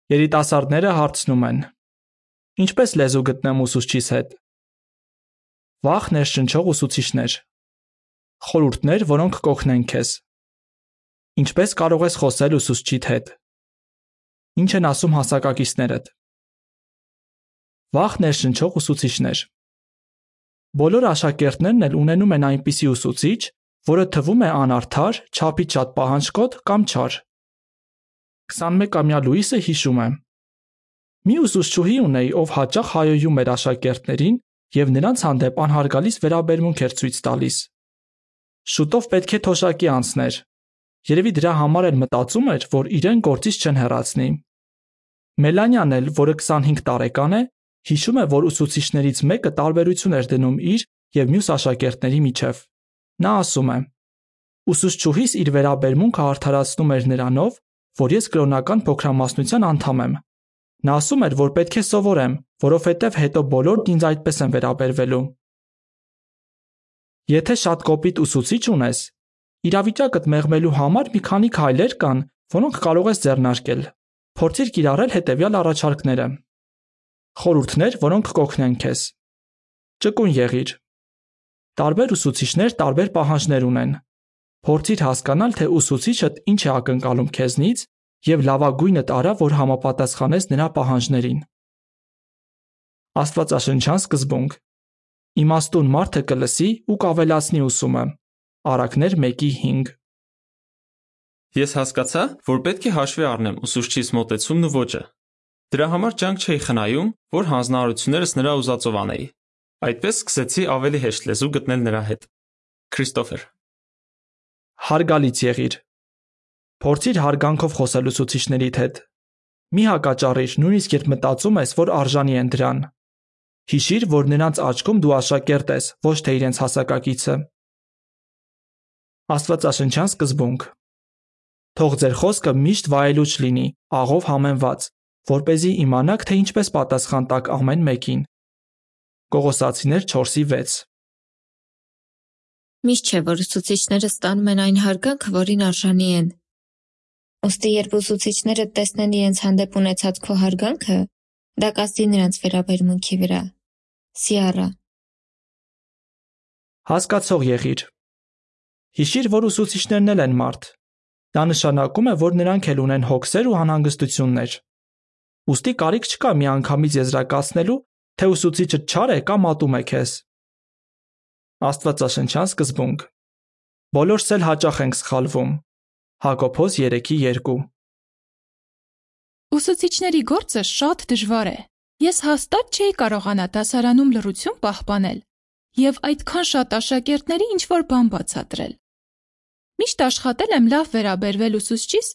Երիտասարդները հարցնում են. Ինչպես լեզու գտնեմ ուսուցչիս հետ։ Վաղ ներշնչող ուսուցիչներ։ Խորհուրդներ, որոնք կօգնեն քեզ։ Ինչպես կարող ես խոսել ուսուցչիդ հետ։ Ինչ են ասում հասակակիցներդ։ Վաղ ներշնչող ուսուցիչներ։ Բոլոր աշակերտներն էլ ունենում են այնպիսի ուսուցիչ, որը թվում է անարդար, չափից շատ պահանջկոտ կամ չար։ 21-ամյա Լուիսը հիշում է. Մի ուսուցչուհի ունեի, ով հաճախ հայոյում էր աշակերտներին և նրանց հանդեպ անհարգալից վերաբերմունք էր ցույց տալիս։ Շուտով պետք է թոշակի անցներ։ Երևի դրա համար էլ մտածում էր, որ իրեն գործից չեն հեռացնի։ Մելանյան էլ, որը 25 տարեկան է, հիշում է, որ ուսուցիչներից մեկը տարբերություն էր դնում իր և մյուս աշակերտների միջև։ Նա ասում է. Ուսուցչուհիս իր վերաբերմունքը արդարացնում էր նրանով, որ ես կրոնական փոքրամասնության անդամ եմ։ Նա ասում էր, որ պետք է սովորեմ, որովհետև հետո բոլորն ինձ այդպես են վերաբերվելու։ Եթե շատ կոպիտ ուսուցիչ ունես, իրավիճակդ մեղմելու համար մի քանի քայլեր կան, որոնք կարող ես ձեռնարկել։ Փորձիր կիրառել հետևյալ առաջարկները։ Խորհուրդներ, որոնք կօգնեն քեզ։ Ճկուն եղիր։ Տարբեր ուսուցիչներ տարբեր պահանջներ ունեն։ Փորձիր հասկանալ, թե ուսուցիչդ ինչ է ակնկալում քեզնից և լավագույնդ արա, որ համապատասխանես նրա պահանջներին։ Աստվածաշնչյան սկզբունք։ Իմաստուն մարդը կլսի ու կավելացնի ուսումը։ Առակներ 1:5։ Ես հասկացա, որ պետք է հաշվի առնեմ ուսուցչիս մոտեցումն ու ոճը։ Դրա համար ջանք չէի խնայում, որ հանձնարարություններս նրա ուզածով անեի։ Այդպես սկսեցի ավելի հեշտ լեզու գտնել նրա հետ։ Քրիստոֆեր։ Հարգալից եղիր։ Փորձիր հարգանքով խոսել ուսուցիչներիդ հետ։ Մի հակաճառիր, նույնիսկ երբ մտածում ես, որ արժանի են դրան։ Հիշիր, որ նրանց աչքում դու աշակերտ ես, ոչ թե իրենց հասակակիցը։ Աստվածաշնչյան սկզբունք։ Թող ձեր խոսքը միշտ վայելուչ լինի, աղով համեմված, որպեսզի իմանաք, թե ինչպես պատասխան տաք ամեն մեկին։ Կողոսացիներ 4:6։ Միշտ չէ, որ ուսուցիչները ստանում են այն հարգանքը, որին արժանի են։ Ուստի երբ ուսուցիչները տեսնեն իրենց հանդեպ ունեցած քո հարգանքը, դա կազդի նրանց վերաբերմունքի վրա։ Սիարա։ Հասկացող եղիր։ Հիշիր, որ ուսուցիչներն էլ են մարդ։ Դա նշանակում է, որ նրանք էլ ունեն հոգսեր ու անհանգստություններ։ Ուստի կարիք չկա միանգամից եզրակացնելու, թե ուսուցիչը չար է կամ ատում է քեզ։ Աստվածաշնչյան սկզբունք։ Բոլորս էլ հաճախ ենք սխալվում։ Հակոբոս 3:2։ Ուսուցիչների գործը շատ դժվար է։ Ես հաստատ չէի կարողանա դասարանում լռություն պահպանել և այդքան շատ աշակերտների ինչ-որ բան բացատրել։ Միշտ աշխատել եմ լավ վերաբերվել ուսուցչիս,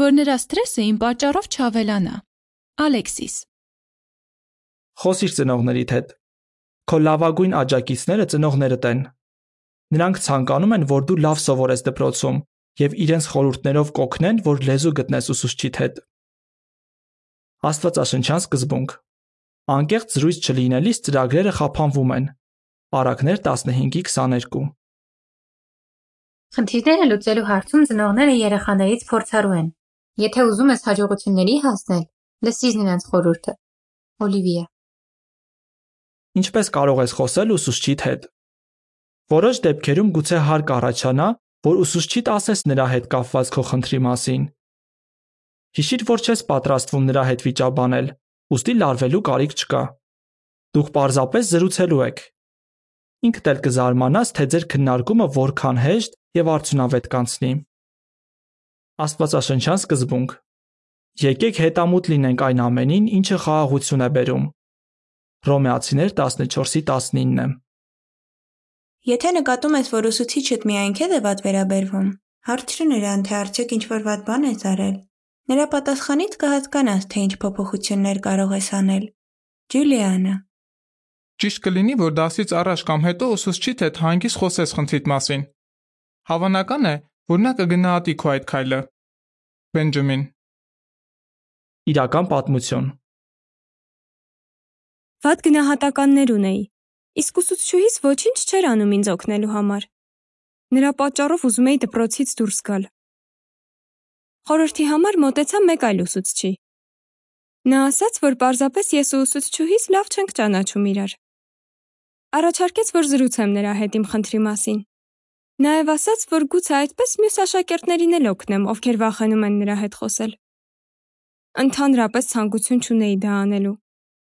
որ նրա սթրեսը իմ պատճառով չավելանա։ Ալեքսիս։ Խոսիր ծնողներիդ հետ։ Քո լավագույն աջակիցները ծնողներդ են։ Նրանք ցանկանում են, որ դու լավ սովորես դպրոցում և իրենց խորհուրդներով կօգնեն, որ լեզու գտնես ուսուցչիդ հետ։ Աստվածաշնչյան սկզբունք։ Անկեղծ զրույց չլինելիս ծրագրերը խափանվում են։ Առակներ 15:22։ Խնդիրները լուծելու հարցում ծնողները երեխաներից փորձառու են։ Եթե ուզում ես հաջողությունների հասնել, լսիր նրանց խորհուրդը։ Օլիվիա։ Ինչպես կարող ես խոսել ուսուցչիդ հետ։ Որոշ դեպքերում գուցե հարկ առաջանա, որ ուսուցչիդ ասես նրա հետ կապված քո խնդրի մասին։ Հիշիր, որ չես պատրաստվում նրա հետ վիճաբանել, ուստի լարվելու կարիք չկա։ Դուք պարզապես զրուցելու եք։ Ինքդ էլ կզարմանաս, թե ձեր քննարկումը որքան հեշտ և արդյունավետ կանցնի։ Աստվածաշնչյան սկզբունք։ Եկեք հետամուտ լինենք այն ամենին, ինչը խաղաղություն է բերում։ Հռոմեացիներ 14:19։ Եթե նկատում ես, որ ուսուցիչդ միայն քեզ է վատ վերաբերվում, հարցրու նրան, թե արդյոք ինչ-որ վատ բան ես արել։ Նրա պատասխանից կհասկանաս, թե ինչ փոփոխություններ կարող ես անել։ Ջուլիանա։ Ճիշտ կլինի, որ դասից առաջ կամ հետո ուսուցչիդ հետ հանգիստ խոսես խնդրիդ մասին։ Հավանական է, որ նա կգնահատի քո այդ քայլը։ Բենջամին։ Իրական պատմություն։ Վատ գնահատականներ ունեի, իսկ ուսուցչուհիս ոչինչ չէր անում ինձ օգնելու համար։ Նրա պատճառով ուզում էի դպրոցից դուրս գալ։ Խորհրդի համար մոտեցա մեկ այլ ուսուցչի։ Նա ասաց, որ պարզապես ես ու ուսուցչուհիս լավ չենք ճանաչում իրար։ Առաջարկեց, որ զրուցեմ նրա հետ իմ խնդրի մասին։ Նաև ասաց, որ գուցե այդպես մյուս աշակերտներին էլ օգնեմ, ովքեր վախենում են նրա հետ խոսել։ Ընդհանրապես ցանկություն չունեի դա անելու,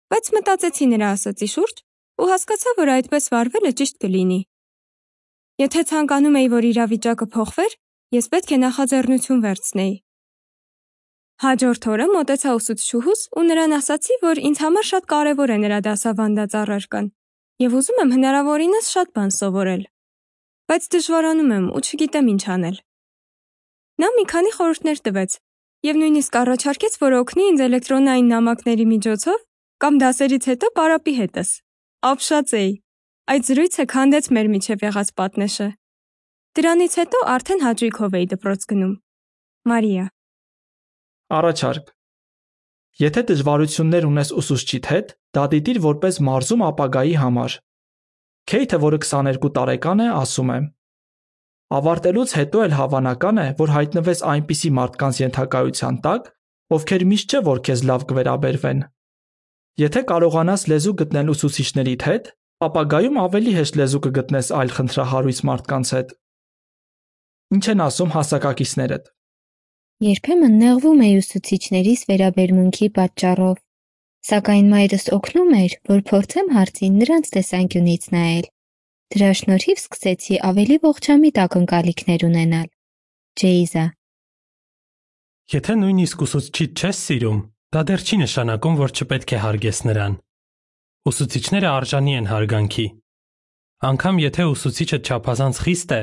բայց մտածեցի նրա ասածի շուրջ ու հասկացա, որ այդպես վարվելը ճիշտ կլինի։ Եթե ցանկանում էի, որ իրավիճակը փոխվեր, ես պետք է նախաձեռնություն վերցնեի։ Հաջորդ օրը մոտեցա ուսուցչուհուս ու նրան ասացի, որ ինձ համար շատ կարևոր է նրա դասավանդած առարկան և ուզում եմ հնարավորինս շատ բան սովորել, բայց դժվարանում եմ ու չգիտեմ ինչ անել։ Նա մի քանի խորհուրդներ տվեց և նույնիսկ առաջարկեց, որ օգնի ինձ էլեկտրոնային նամակների միջոցով կամ դասերից հետո պարապի հետս։ Ապշած էի։ Այդ զրույցը քանդեց մեր միջև եղած պատնեշը։ Դրանից հետո արդեն հաճույքով էի դպրոց գնում։ Մարիա։ Առաջարկ. Եթե դժվարություններ ունես ուսուցչիդ հետ, դա դիտիր որպես մարզում ապագայի համար։ Քեյթը, որը 22 տարեկան է, ասում է. Ավարտելուց հետո էլ հավանական է, որ հայտնվես այնպիսի մարդկանց ենթակայության տակ, ովքեր միշտ չէ, որ քեզ լավ կվերաբերվեն։ Եթե կարողանաս լեզու գտնել ուսուցիչներիդ հետ, ապագայում ավելի հեշտ լեզու կգտնես այլ խնդրահարույց մարդկանց հետ։ Ինչ են ասում հասակակիցներդ։ Երբեմն նեղվում էի ուսուցիչներիս վերաբերմունքի պատճառով, սակայն մայրս օգնում էր, որ փորձեմ հարցին նրանց տեսանկյունից նայել։ Դրա շնորհիվ սկսեցի ավելի ողջամիտ ակնկալիքներ ունենալ։ Ջեյզա։ Եթե նույնիսկ ուսուցչիդ չես սիրում, դա դեռ չի նշանակում, որ չպետք է հարգես նրան։ Ուսուցիչները արժանի են հարգանքի։ Անկամ եթե ուսուցիչը չափազանց խիստ է,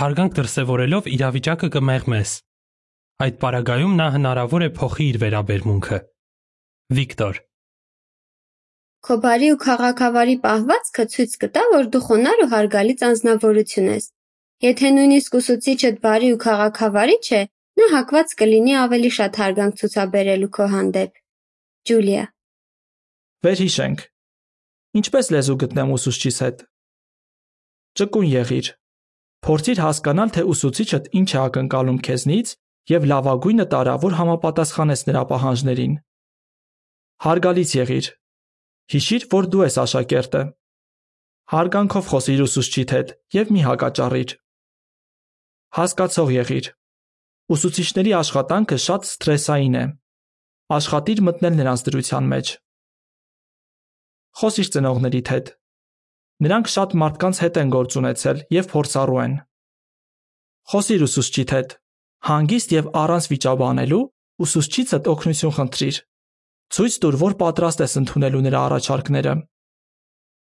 հարգանք դրսևորելով իրավիճակը կմեղմես։ Այդ պարագայում նա հնարավոր է փոխի իր վերաբերմունքը։ Վիկտոր։ Քո բարի ու քաղաքավարի պահվածքը ցույց կտա, որ դու խոնարհ ու հարգալից անձնավորություն ես։ Եթե նույնիսկ ուսուցիչդ բարի ու քաղաքավարի չէ, նա հակված կլինի ավելի շատ հարգանք ցուցաբերելու քո հանդեպ։ Ջուլիա։ Վերհիշենք։ Ինչպես լեզու գտնեմ ուսուցչիս հետ։ Ճկուն եղիր։ Փորձիր հասկանալ, թե ուսուցիչդ ինչ է ակնկալում քեզնից և լավագույնը տարա, որ համապատասխանես նրա պահանջներին։ Հարգալից եղիր։ Հիշիր, որ դու ես աշակերտը։ Հարգանքով խոսիր ուսուցչիդ հետ և մի հակաճառիր։ Հասկացող եղիր։ Ուսուցիչների աշխատանքը շատ սթրեսային է։ Աշխատիր մտնել նրանց դրության մեջ։ Խոսիր ծնողներիդ հետ։ Նրանք շատ մարդկանց հետ են գործ ունեցել և փորձառու են։ Խոսիր ուսուցչիդ հետ։ Հանգիստ և առանց վիճաբանելու ուսուցչիցդ օգնություն խնդրիր։ Ցույց տուր, որ պատրաստ ես ընդունելու նրա առաջարկները։